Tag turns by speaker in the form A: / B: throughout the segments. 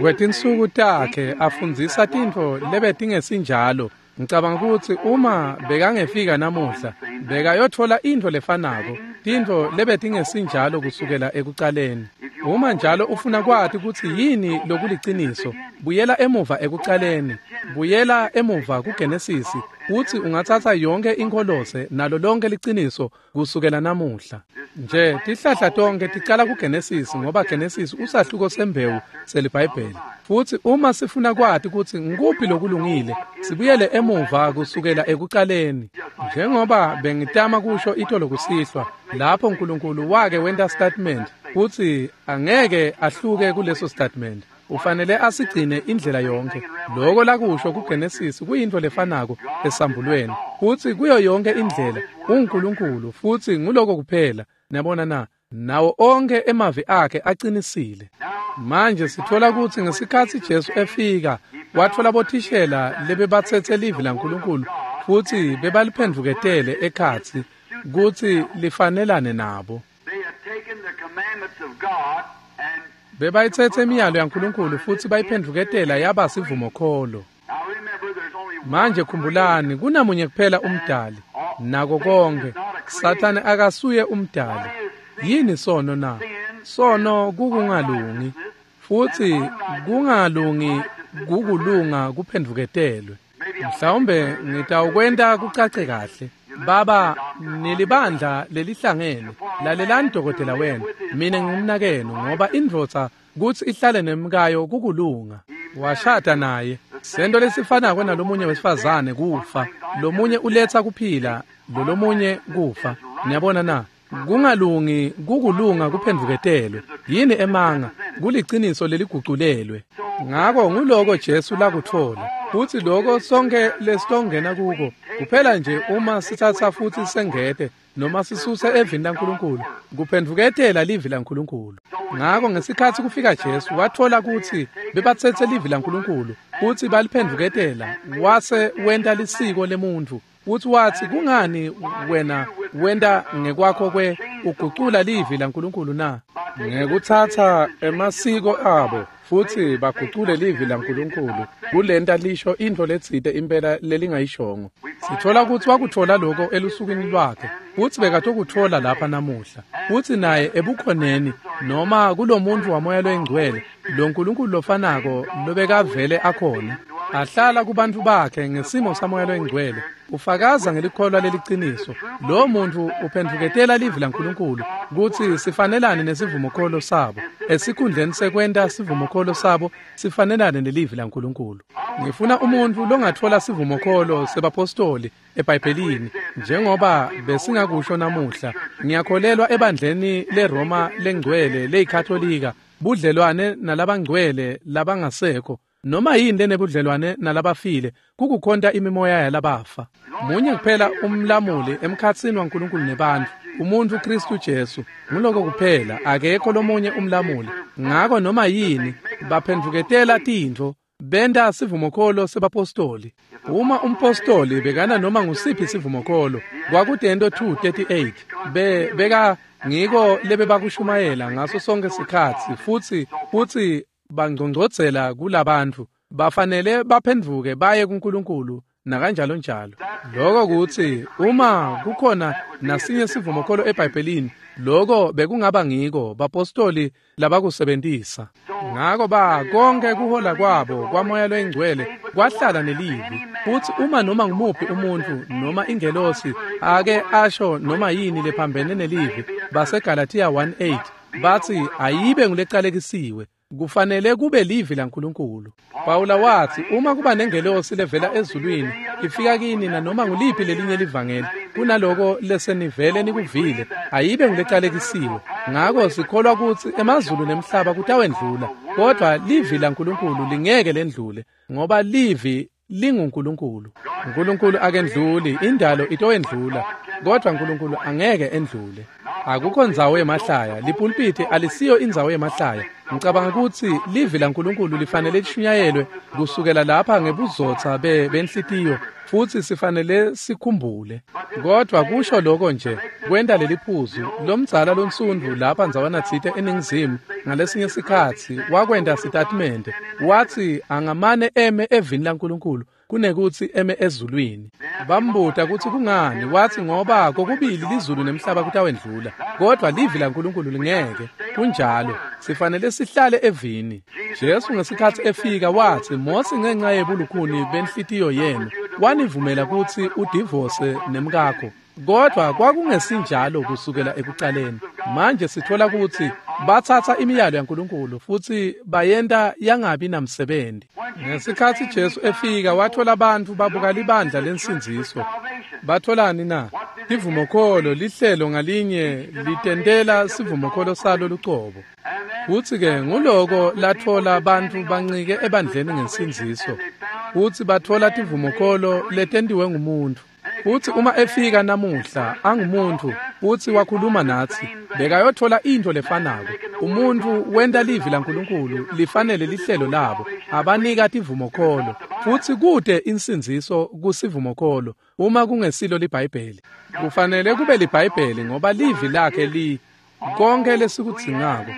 A: Kwetinsuku takhe afundzisa tintfo lebetingesinjalo. Ngicabanga kutsi uma bekangefika namuhla, bekayotfola intfo lefanako, tintfo lebetingesinjalo kusukela ekucaleni. Uma njalo ufuna kwati kutsi yini lokuliciniso, buyela emuva ekucaleni, buyela emuva kuGenesisi, kutsi ungatsatsa yonkhe inkholose nalo lonke liciniso kusukela namuhla. Nje tihlahla tonke ticala kuGenesisi ngoba Genesisi usahluko sembewu seliBhayibheli. Futsi uma sifuna kwati kutsi ngikuphi lokulungile, sibuyele emuva kusukela ekucaleni. Njengoba bengitama kusho itolo kusihlwa, lapho uNkulunkulu wake wenta statement kutsi angeke ahluke kuleso statement. Ufanele asigcine indlela yonke. Loko lakusho kuGenesis kuyintfo lefanako esambulweni. Futsi kuyo yonke indlela uNkulunkulu futsi nguloko kuphela. Niyabona na? Nawo onke emavi akhe aqinisile. Manje sithola kutsi ngesikhatsi Jesu efika, watfola bothishela lebebatsetse livi laNkulunkulu futsi bebaliphendvuketele ekhatsi kutsi lifanelane nabo.
B: They had taken the commandments of God and
A: Bebayitsetse imiyalo yaNkulunkulu futsi bayiphendvuketela yaba sivumokholo.
B: now remember there's only one
A: Manje khumbulani kunamunye kuphela umdali nako konke. Sathane akasuye umdali. Yini sono na? Sono kukungalungi. Futsi kungalungi kukulunga kuphendvuketelwe. Mhlawumbe ngitawukwenta kucace kahle. Baba, nilibandla lelihlangene. Lalelani dokotela wena. Mina ngingumnakenu ngoba indvodza kutsi ihlale nemkayo kukulunga. Washada naye. Sento lesifanako nalomunye wesifazane kufa. Lomunye uletsa kuphila, lolomunye kufa. Niyabona na? Kungalungi kukulunga kuphendvuketelwe. Yini emanga? Kuliciniso leliguculelwe. Ngako nguloko Jesu lakutfola. Futsi loko sonke lesitongena kuko kuphela nje uma sitsatsa futsi sengete noma sisuse evini laNkulunkulu kuphendvuketela livi laNkulunkulu. Ngako ngesikhatsi kufika Jesu watfola kutsi bebatsetse livi laNkulunkulu futsi baliphendvuketela wase wenta lisiko lemuntfu. Futsi watsi kungani wena wenta ngekwakho kwe ugucula livi laNkulunkulu na? Ngekutsatsa emasiko abo futsi bagucule livi laNkulunkulu kulenta lisho intfo letsite impela lelingayishongo. Sitfola kutsi wakutfola loko elusukwini lwakhe futsi bekatokutfola lapha namuhla. Futsi naye ebukhoneni noma kulomuntfu wamoya loyingcwele lo Nkulunkulu lofanako lobekavele akhona ahlala kubantfu bakhe ngesimo samoya loyingcwele ufakaza ngelikholwa leliciniso. Lo muntfu uphendvuketela livi laNkulunkulu kutsi sifanelane nesivumokholo sabo esikhundleni sekwenta sivumokholo sabo sifanelane nelivi laNkulunkulu. Ngifuna umuntfu longatfola sivumokholo sebapostoli eBhayibhelini njengoba besingakusho namuhla. Ngiyakholelwa ebandleni leRoma lengcwele leyikatholika, budlelwane nalabangcwele labangasekho. Noma yini lenebudlelwane nalabafile kukukhonta imimoya yalabafa. Munye kuphela umlamuli emkhatsini waNkulunkulu nebantfu, umuntfu Kristu Jesu. Nguloko kuphela, akekho lomunye umlamuli. Ngako noma yini baphendvuketela tintfo benta sivumokholo sebapostoli. Uma umpostoli bekana noma ngusiphi sivumokholo, kwakutento 2:38 beka ngiko lebebakushumayela ngaso sonke sikhatsi futsi bangcongcodzela kulabantfu bafanele baphendvuke baye kuNkulunkulu nakanjalo njalo. Loko kutsi uma kukhona nasinye sivumokholo eBhayibhelini, loko bekungaba ngiko bapostoli labakusebentisa. Ngako ba konke kuhola kwabo kwamoya loyingcwele kwahlala nelivi. Futsi uma noma ngumuphi umuntfu noma ingelosi ake asho noma yini lephambene nelivi, baseGalatia 1:8 batsi ayibe ngulecalekisiwe. Kufanele kube livi laNkulunkulu. Pawula watsi uma kuba nengelosi levela ezulwini ifika kini nanoma nguliphi lelinye livangeli kunaloko lesenivele nikuvile, ayibe ngulecalekisiwe. Ngako sikholwa kutsi emazulu nemhlaba kutawendlula, kodvwa livi laNkulunkulu lingeke lendlule, ngoba livi linguNkulunkulu. Nkulunkulu akendluli, indalo itowendlula, kodvwa Nkulunkulu angeke endlule. Akukho ndzawo yemahlaya. Lipulpiti alisiyo indzawo yemahlaya. Ngicabanga kutsi livi laNkulunkulu lifanele lishunyayelwe kusukela lapha ngebuzotsa benhlitiyo, futsi sifanele sikhumbule. Kodwa kusho lokho nje kwenta leliphuzu lomdzala lonsundvu lapha ndzawana tsite eNingizimu ngalesinye sikhatsi wakwenta sitatimende, watsi angamane eme evini laNkulunkulu kunekutsi eme ezulwini. Bambuta kutsi kungani, watsi ngoba kokubili lizulu nemhlaba kutawendlula, kodwa livi laNkulunkulu lingeke. Kunjalo, sifanele sihlale evini. Jesu ngesikhatsi efika watsi, Mosi ngenxa yebulukhuni benhlitiyo yenu wanivumela kutsi udivose nemkakho, kodwa kwakungesinjalo kusukela ekucaleni. Manje sithola kutsi batsatsa imiyalo yaNkulunkulu futsi bayenta yangabi namsebenzi. Ngesikhatsi Jesu efika wathola abantu babuka libandla lensindziso. Batholani na? Tivumokholo, lihlelo ngalinye litentela sivumokholo salo lucobo. Futsi-ke nguloko lathola bantfu bancike ebandleni ngensindziso. Futsi bathola tivumokholo letentiwe ngumuntfu. Futsi uma efika namuhla angumuntu futsi wakhuluma natsi, bekayothola intfo lefanako. Umuntu wenta livi laNkulunkulu lifanele lihlelo labo, abanika tivumokholo. Futsi kute insindziso kusivumokholo uma kungesilo liBhayibheli. Kufanele kube liBhayibheli ngoba livi lakhe li konke lesikudzingako,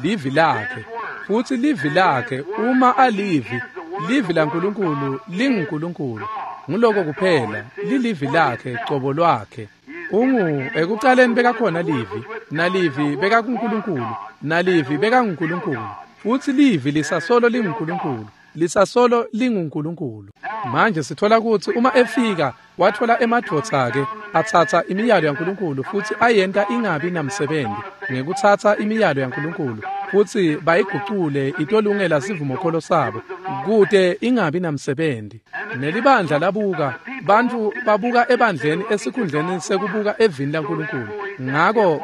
A: livi lakhe. Futsi livi lakhe uma alivi, livi laNkulunkulu linguNkulunkulu. Nguloko kuphela, lilivi lakhe cobo lwakhe. Ungu ekucaleni bekakhona livi, nalivi bekakuNkulunkulu, nalivi bekanguNkulunkulu. Futsi livi lisasolo linguNkulunkulu, lisasolo linguNkulunkulu. Manje sithola kutsi uma efika wathola emadvodza-ke atsatsa imiyalo yaNkulunkulu futsi ayenta ingabi namsebenzi ngekutsatsa imiyalo yaNkulunkulu futsi bayigucule itolungela sivumokholo sabo kute ingabi namsebenzi. Nelibandla labuka, bantfu babuka ebandleni esikhundleni sekubuka evini laNkulunkulu.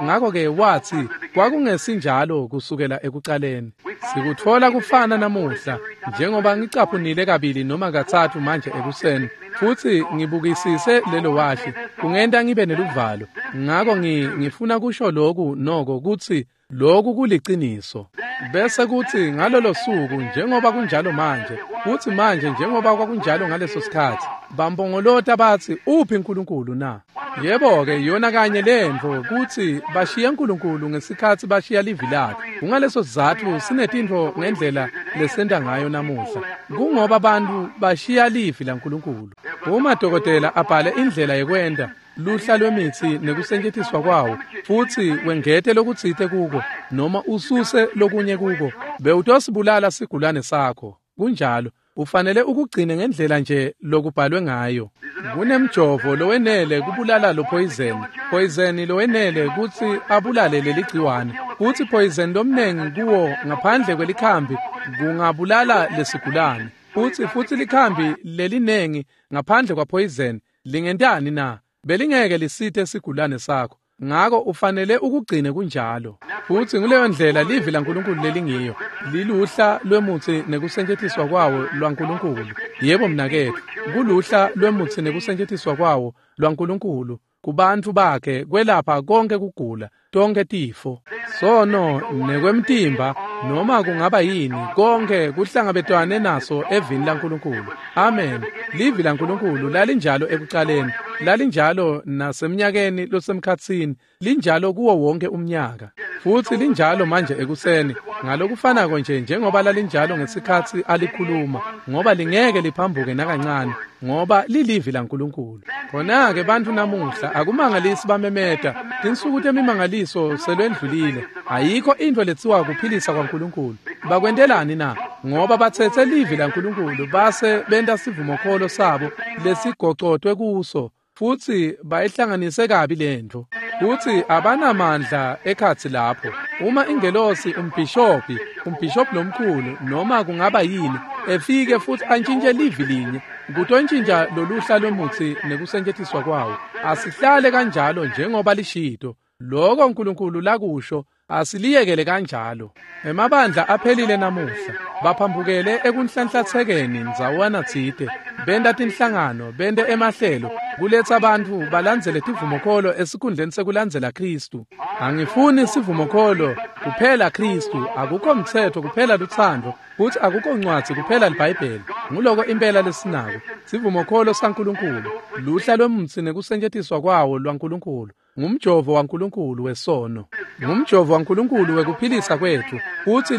A: Ngako-ke watsi kwakungesinjalo kusukela ekucaleni. Sikutfola kufana namuhla njengoba ngicaphunile kabili noma katsatfu manje ekuseni, futsi ngibukisise lelo washi kungenta ngibe neluvalo. Ngako ngifuna kusho loku noko kutsi loku kuliciniso. Bese kuthi ngalolo suku njengoba kunjalo manje, kuthi manje njengoba kwakunjalo ngaleso sikhatsi, bambongolota batsi uphi uNkulunkulu na? Yebo-ke yona kanye lentfo kutsi bashiye uNkulunkulu ngesikhatsi bashiya livi lakhe. Kungaleso sizatfu sinetintfo ngendlela lesenta ngayo namuhla. Kungoba bantfu bashiya livi laNkulunkulu. Uma dokotela abhale indlela yekwenta luhla lwemitsi nekusetjentiswa kwawo, futsi wengete lokutsite kuko noma ususe lokunye kuko, bewutosibulala sigulane sakho. Kunjalo, ufanele ukugcine ngendlela nje lokubhalwe ngayo. Kunemjovo lowenele kubulala lo poison, poison lowenele kutsi abulale leligciwane, futsi poison lomnengi kuwo ngaphandle kwelikhambi kungabulala lesigulane. Futsi likhambi lelinengi ngaphandle kwa poison lingentani na? Belingeke lisite sigulane sakho. Ngako ufanele ukugcine kunjalo. Futsi nguleyo ndlela livi laNkulunkulu lelingiyo, liluhla lwemutsi nekusetjentiswa kwawo lwaNkulunkulu. Yebo mnaketfu, kuluhla lwemutsi nekusetjentiswa kwawo lwaNkulunkulu kubantfu bakhe kwelapha konke kugula, tonke tifo, sono nekwemtimba noma kungaba yini, konke kuhlangabetwane naso evini laNkulunkulu. Amen. Livi laNkulunkulu lalinjalo ekucaleni, lalinjalo nasemnyakeni losemkhatsini, linjalo kuwo wonke umnyaka. Futsi linjalo manje ekuseni, ngalokufanako nje njengoba lalinjalo ngesikhatsi alikhuluma, ngoba lingeke liphambuke nakancane, ngoba lilivi laNkulunkulu. Khona-ke bantfu namuhla akumangalisi bamemeta, tinsuku temimangaliso selwendlulile, ayikho intfo letsiwa kuphilisa kwaNkulunkulu. Bakwentelani na? Ngoba batsetse livi laNkulunkulu base benta sivumokholo sabo lesigocotwe kuso, futsi bayihlanganise kabi lentfo. Futsi abanamandla ekhatsi lapho. Uma ingelosi umbhishobhi lomkhulu noma kungaba yini efike futsi antshintshe livi linye, kutontshintsha loluhla lwemutsi nekusetjentiswa kwawo. Asihlale kanjalo njengoba lishito. Loko uNkulunkulu lakusho asiliyekele kanjalo. Emabandla aphelile namuhla, baphambukele ekunhlanhlatsekeni ndzawana tsite, Benta tinhlangano, bente emahlelo, kuletsa bantfu balandzele tivumokholo esikhundleni sekulandzela Khristu. Angifuni sivumokholo, kuphela Khristu, akukho mtsetfo kuphela lutsandvo, futsi akukho ncwadzi kuphela liBhayibheli. Nguloko impela lesinako, sivumokholo saNkulunkulu, luhla lwemutsi nekusetjentiswa kwawo lwaNkulunkulu. Ngumjovo waNkulunkulu wesono, ngumjovo waNkulunkulu wekuphilisa kwetfu, futsi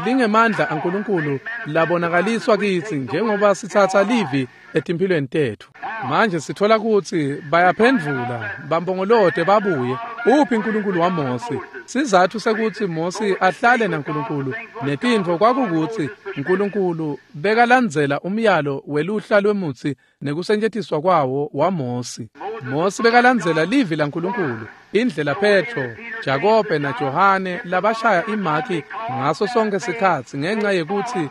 A: lingemandla aNkulunkulu labonakaliswa kitsi njengoba sitsatsa livi etimphilweni tetfu. Manje sithola kutsi bayaphendvula, bambongolote babuye. Uphi uNkulunkulu waMosi? Sizatfu sekutsi Mosi ahlale naNkulunkulu netintfo kwakukutsi uNkulunkulu bekalandzela umyalo weluhla lwemutsi nekusetjentiswa kwawo waMosi. Mosi bekalandzela livi laNkulunkulu, indlela Petro, Jakobe naJohane labashaya imaki ngaso sonke sikhatsi ngenxa yekutsi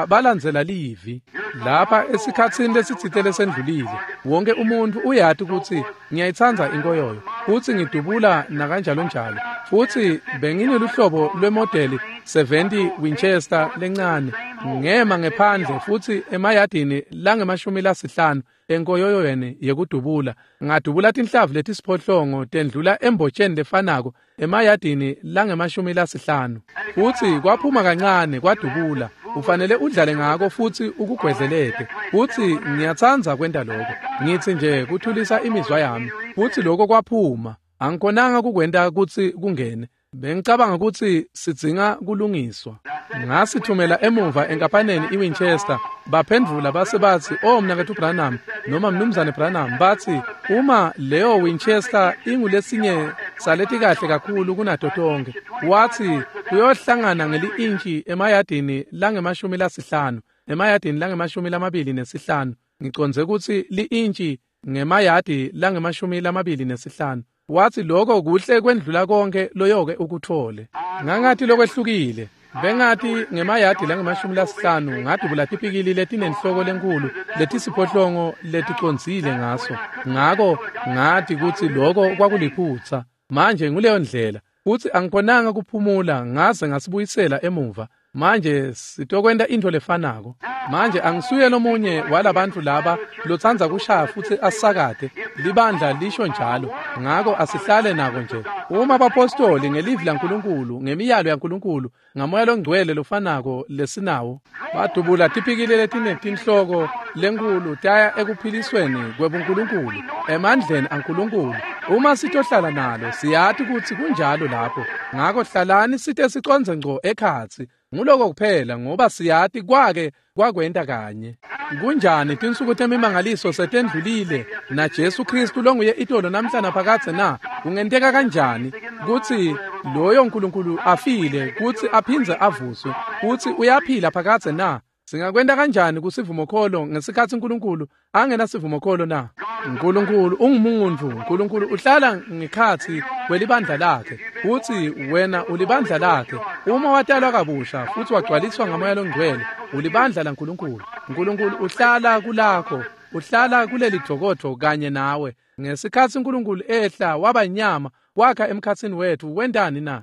A: balandzela livi. Lapha esikhatsini lesitsite lesendlulile, wonke umuntfu uyati kutsi ngiyayitsandza inkoyoyo, futsi ngidubula nakanjalo njalo. Futsi bengineluhlobo lwemodeli 70 Winchester lencane, ngema ngephandle futsi emayadini langama-50 enkoyoyweni yekudubula, ngadubula tinhlavu letisiphohlongo tendlula embotsheni lefanako emayadini langama-50. Futsi kwaphuma kancane kwadubula. Ufanele udlale ngako futsi ukugwedlelete. Futsi ngiyatsandza kwenta lokho, ngitsi nje kuthulisa imizwa yami. Futsi lokho kwaphuma, angikhonanga kukwenta kutsi kungene. Bengicabanga kutsi sidzinga kulungiswa. Ngasithumela emuva enkampaneni iWinchester. Baphendvula base batsi, "Oh mnaketfu Branham noma mnumzane Branham," batsi, "uma leyo Winchester ingulesinye saleti kahle kakhulu kunato tonkhe," watsi, "kuyohlangana ngeli-intshi emayadini langama-50, emayadini langama-25. Ngicondze kutsi li-intshi ngemayadi langama-25." Watsi lokho kuhle kwendlula konke loyoke ukuthole. Ngangathi lokwehlukile. Bengathi ngemayadi langama-50 ngadubula tipikili letinenhloko lenkulu letisiphohlongo leticondzile ngaso. Ngako ngathi kutsi lokho kwakuliphutsa. Manje nguleyo ndlela. Futsi angikhonanga kuphumula ngaze ngasibuyisela emuva. Manje sitokwenta intfo lefanako. Manje angisuye lomunye walabantfu laba lotsandza kushaya futsi asakate. Libandla lisho njalo. Ngako asihlale nako nje. Uma abapostoli ngelivi laNkulunkulu, ngemiyalo yaNkulunkulu, ngamoya longcwele lofanako lesinawo, badubula tipikili letinetinhloko lenkulu taya ekuphilisweni kwebuNkulunkulu, emandleni aNkulunkulu. Uma sitohlala nalo, siyati kutsi kunjalo lapho. Ngako hlalani site sicondze ngco ekhatsi. Nguloko kuphela, ngoba siyati kwake kwakwenta kanye. Kunjani tinsuku temimangaliso setendlulile na Jesu Kristu longuye itolo namhla naphakadze na? Kungenteka kanjani kutsi loyo Nkulunkulu afile kutsi aphindze avuswe kutsi uyaphila phakadze na? Singakwenta kanjani kusivumokholo ngesikhatsi uNkulunkulu angenasivumokholo na? Nkulunkulu ungumuntfu. Nkulunkulu uhlala ngekhatsi kwelibandla lakhe, futsi wena ulibandla lakhe. Uma watalwa kabusha futsi wagcwaliswa ngamoya longcwele, ulibandla laNkulunkulu. Nkulunkulu uhlala kulakho, uhlala kuleli dvokodvo kanye nawe. Ngesikhatsi uNkulunkulu ehla waba inyama, wakha emkhatsini wetfu, wentani na?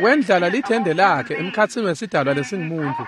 A: Wendlala lithende lakhe emkhatsini wesidalwa lesingumuntu.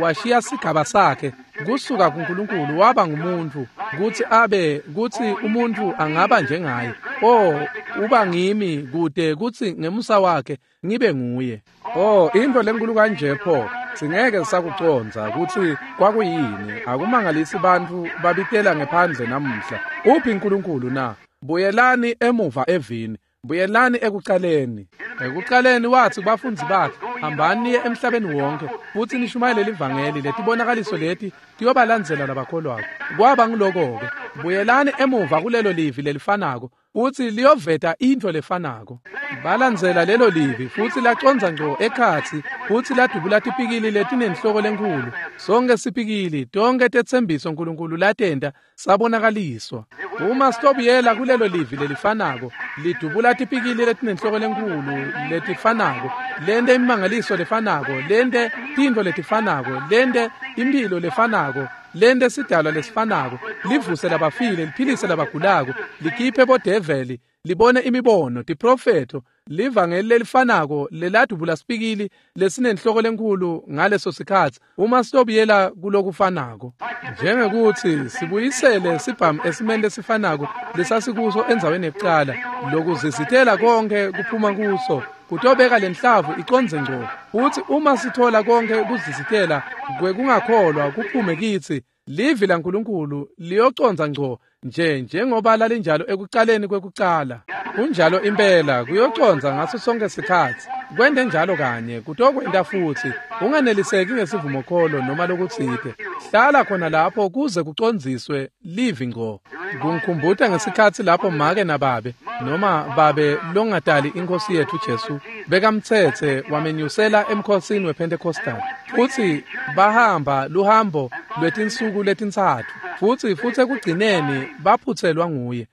A: Washiya sigaba sakhe kusuka kuNkulunkulu waba ngumuntu, kutsi abe kutsi umuntu angaba njengaye. Oh, uba ngimi kude kutsi ngemusa wakhe ngibe nguye. Oh, intfo lenkulu kanje pho, singeke sakucondza kutsi kwakuyini. Akumangalisi bantfu babitela ngephandle namuhla. Uphi uNkulunkulu na? Buyelani emuva evini. Buyelani ekucaleni. Ekucaleni watsi kubafundzi bakhe, hambani niye emhlabeni wonke futsi nishumayele livangeli. Letibonakaliso leti tiyobalandzela labakholwako. Kwaba nguloko-ke. Buyelani emuva kulelo livi lelifanako, futsi liyoveta intfo lefanako. Balandzela lelo livi futsi lacondza ngco ekhatsi, futsi ladubula tipikili letinenhloko lenkhulu. Sonke sipikili, tonke tetsembiso Nkulunkulu latenta sabonakaliswa. Uma sitobuyela kulelo livi lelifanako, lidubula tipikili letinenhloko lenkhulu letifanako, lente imimangaliso lefanako, lente tintfo letifanako, lente imphilo lefanako, lente sidalwa lesifanako, livuse labafile, liphilise labagulako, likhiphe bodeveli, libone imibono, tiprofetho, Livangeli lelifanako leladubula sipikili lesinenhloko lenkulu ngaleso sikhatsi, uma sitobuyela kulokufanako. Njengekuthi sibuyisele sibhamu esimeni lesifanako lesasikuso endzaweni yekucala, lokuzizitela konke kuphuma kuso, kutobeka lenhlavu icondze ngco. Futsi uma sithola konke kuzizitela kwekungakholwa kuphume kitsi, livi laNkulunkulu liyocondza ngco nje njengoba lalinjalo ekucaleni kwekucala. Kunjalo impela, kuyocondza ngaso sonke sikhatsi. Kwente njalo kanye, kutokwenta futsi. Unganeliseki ngesivumokholo noma lokutsite. Hlala khona lapho kuze kucondziswe livi ngco. Kungikhumbuta ngesikhatsi lapho make nababe, noma babe longatali iNkhosi yetfu Jesu, bekamtsetse wamenyusela emkhosini wePentecostal. Futsi bahamba luhambo lwetinsuku letintsatfu. Futsi ekugcineni baphutselwa nguye.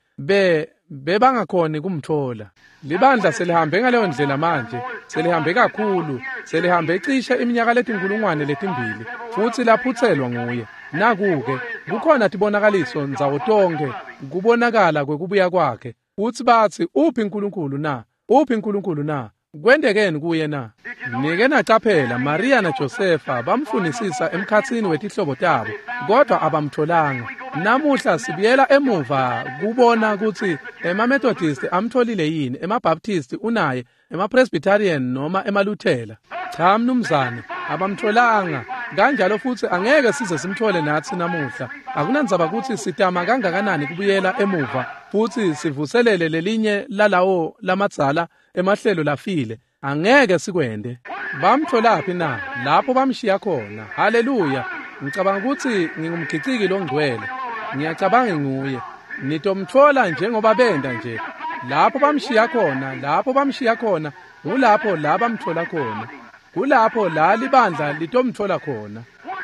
A: Bebangakhoni kumthola. Libandla selihambe ngaleyo ndlela manje, selihambe kakhulu, selihambe cishe iminyaka letinkulungwane letimbili, futsi laphutselwa nguye. Naku-ke, kukhona tibonakaliso ndzawo tonkhe, kubonakala kwekubuya kwakhe. Futsi batsi, uphi uNkulunkulu na? Uphi uNkulunkulu na? Kwentekeni kuye na? Nike nacaphela, Maria naJosefa bamfunisisa emkhatsini wetihlobo tabo, kodwa abamtholanga. Namuhla sibuyela emuva kubona kutsi emaMethodist amtholile yini, emaBaptist unaye, emaPresbyterian noma emaLuthela. Cha mnumzane, abamtholanga. Kanjalo futsi angeke size simthole natsi namuhla. Akunandzaba kutsi sitama kangakanani kubuyela emuva futsi sivuselele lelinye lalawo lamadzala emahlelo lafile. Angeke sikwente. Bamtholaphi na? Lapho bamshiya khona. Haleluya. Ngicabanga kutsi ngingumgiciki longcwele. Ngiyacabanga nguye. Nitomtfola njengoba benda nje. Lapho bamshiya khona, lapho bamshiya khona, ngulapho la bamthola khona. Kulapho la libandla litomthola khona.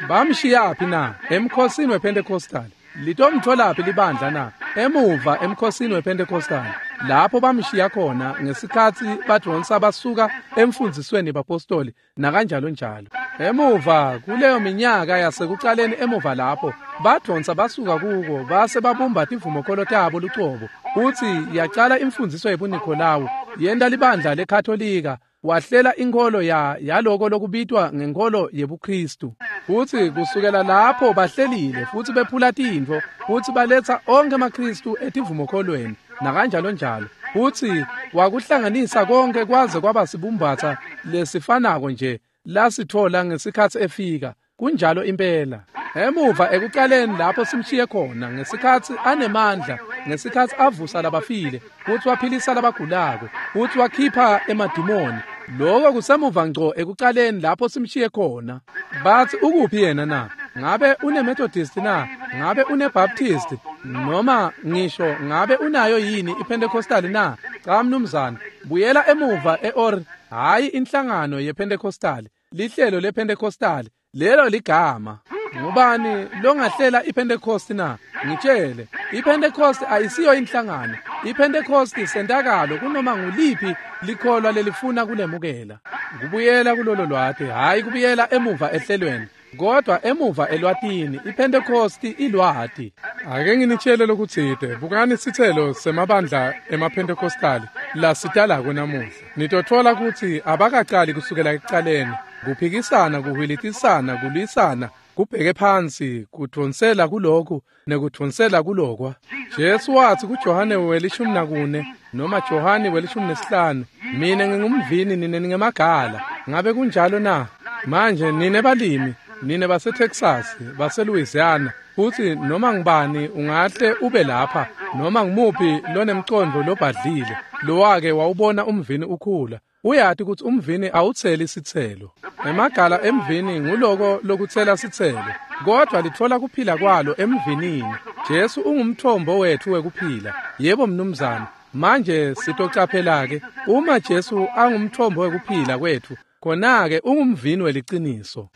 A: Bamshiyaphi na? Emkhosini wePentecostal. Litomtholaphi libandla na? Emuva emkhosini wePentecostal. Lapho bamshiya khona ngesikhatsi badvonsa basuka emfundzisweni bapostoli nakanjalo njalo. Emuva kuleyo minyaka yasekucaleni emuva lapho badvonsa basuka kuko base babumba tivumokholo tabo lucobo. Futsi yacala imfundziso yebuNikolawu, yenta libandla leKatolika, wahlela inkholo yaloko lokubitwa ngenkholo yebuKristu. Futsi kusukela lapho bahlelile futsi bephula tintfo futsi baletsa onkhe emaKristu etivumokholweni nakanjalo njalo. Futsi wakuhlanganisa konke kwaze kwaba sibumbatsa lesifanako nje lasithola ngesikhatsi efika. Kunjalo impela. Emuva ekucaleni lapho simshiye khona ngesikhatsi anemandla, ngesikhatsi avusa labafile, futsi waphilisa labagulako, futsi wakhipha emadimoni. Lokho kusemuva ngco ekucaleni lapho simshiye khona. Batsi ukuphi yena na? Ngabe uneMethodist na? Ngabe uneBaptist? Noma ngisho ngabe unayo yini iPentecostal na? Cha mnumzane, buyela emuva eOr, hayi inhlangano yePentecostal, lihlelo lePentecostal. Lelo ligama. Ngubani longahlela iPentecost na? Ngitshele, iPentecost ayisiyo inhlangano. iPentecost sentakalo kunoma nguliphi likholwa lelifuna kulemukela. Kubuyela kulolo lwati, hayi kubuyela emuva ehlelweni, kodwa emuva elwatini. iPentecost ilwati. Ake nginitshele lokutsite, bukani sitselo semabandla emaPentecostali lasitalako namuhla. Nitotfola kutsi abakacali kusukela ekucaleni. Kuphikisana, kuhwilitisana, kulwisana, kubheke phansi, kudvonsela kulokhu nekudvonsela kulokwa. Jesu watsi kuJohane we-14 noma Johane we-15, mina ngingumvini nine ningemagala. Ngabe kunjalo na? Manje nine balimi, nine baseTexas, baseLouisiana, futsi noma ngubani ungahle ube lapha, noma ngumuphi lonemcondvo lobhadlile, lowake wawubona umvini ukhula. Uyati kutsi umvini awutseli sitselo. Emagala emvini nguloko lokutsela sitselo, kodwa litfola kuphila kwalo emvinini. Jesu ungumthombo wetfu wekuphila. Yebo mnumzane. Manje sitocaphela-ke, uma Jesu angumthombo wekuphila kwetfu, khona-ke ungumvini weliciniso.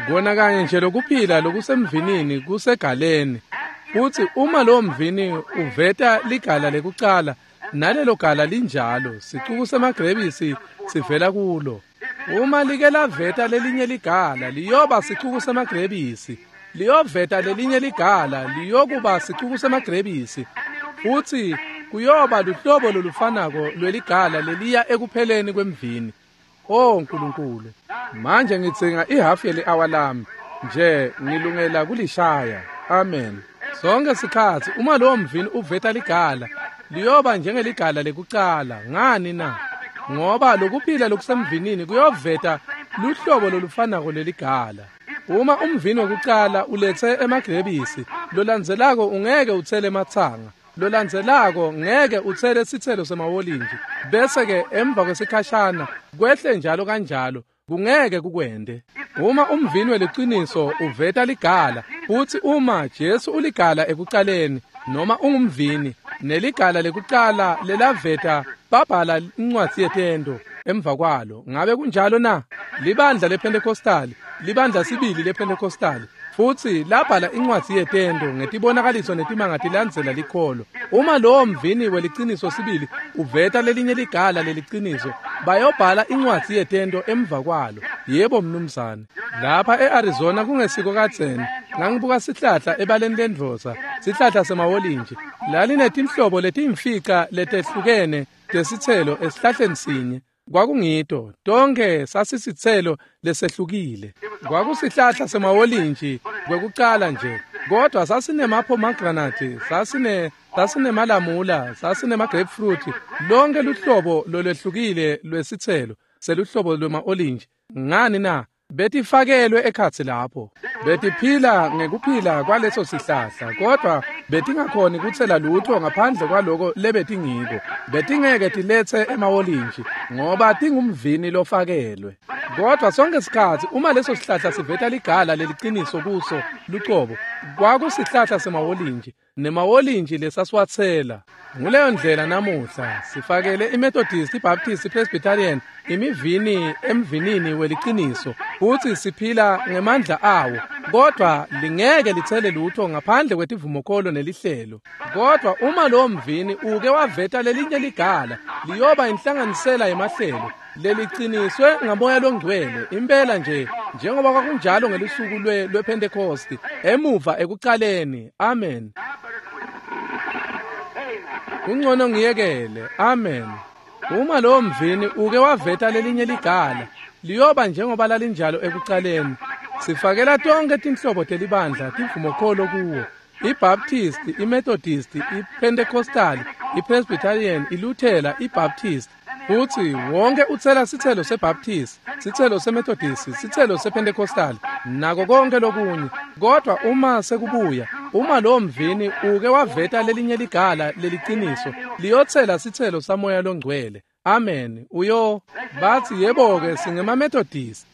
A: Kona kanye nje lokuphila lokusemvinini kusegaleni. Futsi uma lowo mvini uveta ligala lekucala, nalelo gala linjalo, sicuku semagrebisi sivela kulo. Uma like laveta lelinye ligala, liyoba sicuku semagrebisi. Liyoveta lelinye ligala, liyokuba sicuku semagrebisi. Futsi Kuyoba luhlobo lolufanako lweligala leliya ekupheleni kwemvini. O Nkulunkulu, manje ngidzinga ihafu yeli-awa lami nje, ngilungela kulishaya. Amen. Sonke sikhatsi uma lowo mvini uveta ligala, liyoba njengeligala lekucala. Ngani na? Ngoba lokuphila lokusemvinini kuyoveta luhlobo lolufanako leligala. Uma umvini wekucala uletse emagrebisi, lolandzelako ungeke utsele ematsanga, lolandzelako ngeke utsele sitselo semawolintshi, bese-ke emva kwesikhashana kwehle njalo kanjalo, kungeke kukwente. Uma umvini weliciniso uveta ligala, futsi uma Jesu uligala ekucaleni, noma ungumvini, neligala lekucala lelaveta babhala incwadzi yetento emva kwalo. Ngabe kunjalo na? Libandla lePentecostal, libandla sibili lePentecostal, futsi labhala incwadzi yetento ngetibonakaliso netimanga tilandzela likholo. Uma lowo mvini weliciniso sibili uveta lelinye ligala leliciniso, bayobhala incwadzi yetento emva kwalo. Yebo mnumzane. Lapha e-Arizona kungesiko kadzeni, ngangibuka sihlahla ebaleni lendvodza, sihlahla semawolintshi. Lalinetinhlobo letiyimfica letehlukene tesitselo esihlahleni sinye. Kwakungito tonke sasisitselo lesehlukile. Kwakusihlahla semawolintshi kwekucala nje, kodwa sasinemapomegranate, sasinemalamula, sasinema-grapefruit, lonke luhlobo lolwehlukile lwesitselo seluhlobo lwema-olintshi. Ngani na? Betifakelwe ekhatsi lapho. Betiphila ngekuphila kwaleso sihlahla, kodwa betingakhoni kutsela lutho ngaphandle kwaloko lebetingiko. Betingeke tiletse emawolintshi ngoba tingumvini lofakelwe. Kodwa sonke sikhatsi uma leso sihlahla siveta ligala leliciniso kuso lucobo, kwakusihlahla semawolintshi, nemawolintshi lesasiwatsela. Nguleyo ndlela namuhla sifakele iMethodist, iBaptist, iPresbyterian imivini emvinini weliciniso, futsi siphila ngemandla awo, kodwa lingeke litsele lutho ngaphandle kwetivumokholo nelihlelo. Kodwa uma lowo mvini uke waveta lelinye ligala, liyoba inhlanganisela yemahlelo leliciniswe ngamoya longcwele impela nje njengoba kwakunjalo ngelusuku lwePentecost emuva ekucaleni. Amen. Kungcono ngiyekele. Amen. Uma lowo mvini uke waveta lelinye ligala, liyoba njengoba lalinjalo ekucaleni. Sifakela tonke tinhlobo telibandla tivumokholo kuwo. iBaptist, iMethodist, iPentecostal, iPresbyterian, iLuthela, iBaptist. Futsi wonke utsela sitselo seBaptist, sitselo seMethodist, sitselo sePentecostal, nako konke lokunye. Kodwa uma sekubuya, uma lowo mvini uke waveta lelinye ligala leliciniso, liyotsela sitselo samoya longcwele. Amen. Uyo bathi yebo-ke singemaMethodist.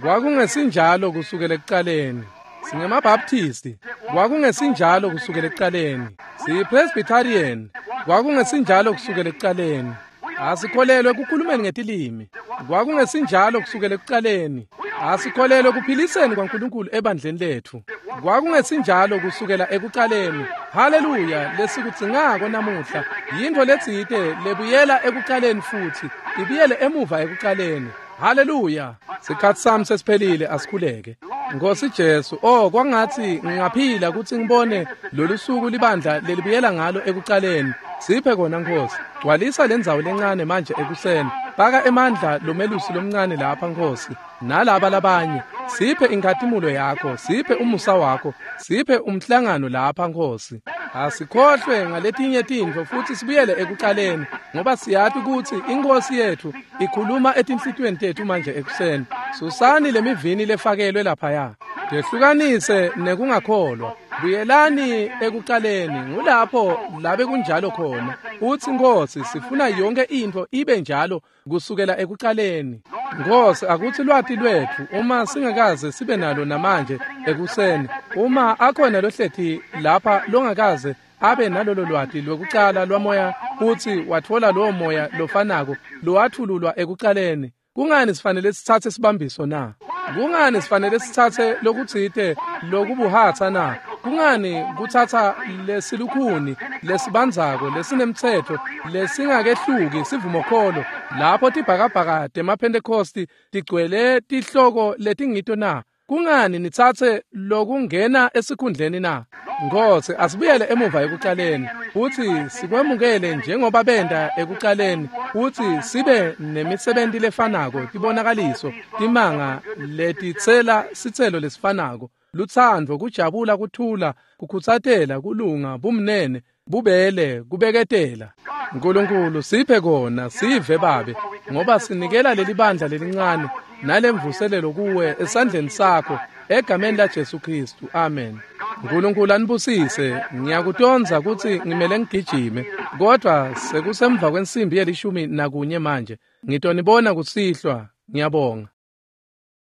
A: Kwakungesinjalo kusukela ekucaleni. SingemaBaptist. Kwakungesinjalo kusukela ekucaleni. SiyiPresbyterian. Kwakungesinjalo kusukela ekucaleni. Asikholelwe kukhulumeni ngetilimi. Kwakungesinjalo kusukela ekucaleni. Asikholelwe kuphiliseni kwaNkulunkulu ebandleni letfu. Kwakungesinjalo kusukela ekucaleni. Haleluya, lesikudzingako namuhla yintfo letsite lebuyela ekucaleni futhi ibuyele emuva ekucaleni. Haleluya. Sikhatsi sami sesiphelile, asikhuleke. Nkosi Jesu, oh kwangatsi ngingaphila kutsi ngibone lolu suku libandla lelibuyela ngalo ekucaleni. Siphe kona Nkosi. Gcwalisa lendzawo lencane manje ekuseni. Faka emandla lomelusi lomncane lapha Nkosi, nalaba labanye. Siphe inkhatimulo yakho, siphe umusa wakho, siphe umhlangano lapha Nkosi. Asikhohlwe ngaletinye tintfo futsi sibuyele ekucaleni, ngoba siyati kutsi iNkosi yetfu ikhuluma etinhlitiyweni tetfu manje ekuseni. Susani lemivini lefakelwe laphaya. Tehlukanise nekungakholwa. Buyelani ekucaleni, ngulapho labe kunjalo khona. Utsi Nkosi, sifuna yonke intfo ibe njalo kusukela ekucaleni. Nkosi, akutsi lwati lwetfu uma singakaze sibe nalo namanje ekuseni, uma akhona lohleti lapha longakaze abe nalolo lwati lwekucala lwamoya futsi watfola lowo moya lofanako lowathululwa ekucaleni, kungani sifanele sitsatse sibambiso na? Kungani sifanele sitsatse lokutsite lokubuhatsa na? Kungani kutsatsa lesilukhuni lesibandzako lesinemtsetfo lesingakehluki sivumokholo lapho tibhakabhaka temaPhentekosti tigcwele tihloko letingito na? Kungani nitsatse lokungena esikhundleni na? Nkhosi, asibuyele emuva ekucaleni, futsi sikwemukele njengoba benta ekucaleni, futsi sibe nemisebenti lefanako, tibonakaliso, timanga letitsela sitselo lesifanako, lutsandvo, kujabula, kuthula, kukhutsatela, kulunga, bumnene, bubele, kubeketela. Nkulunkulu, siphe kona, sive Babe, ngoba sinikela leli bandla lelincane nalemvuselelo kuwe esandleni sakho, egameni laJesu Kristu. Amen. Nkulunkulu anibusise. Ngiyakutondza kutsi ngimele ngigijime, kodvwa sekusemva kwensimbi yelishumi nakunye manje. Ngitonibona kusihlwa. Ngiyabonga.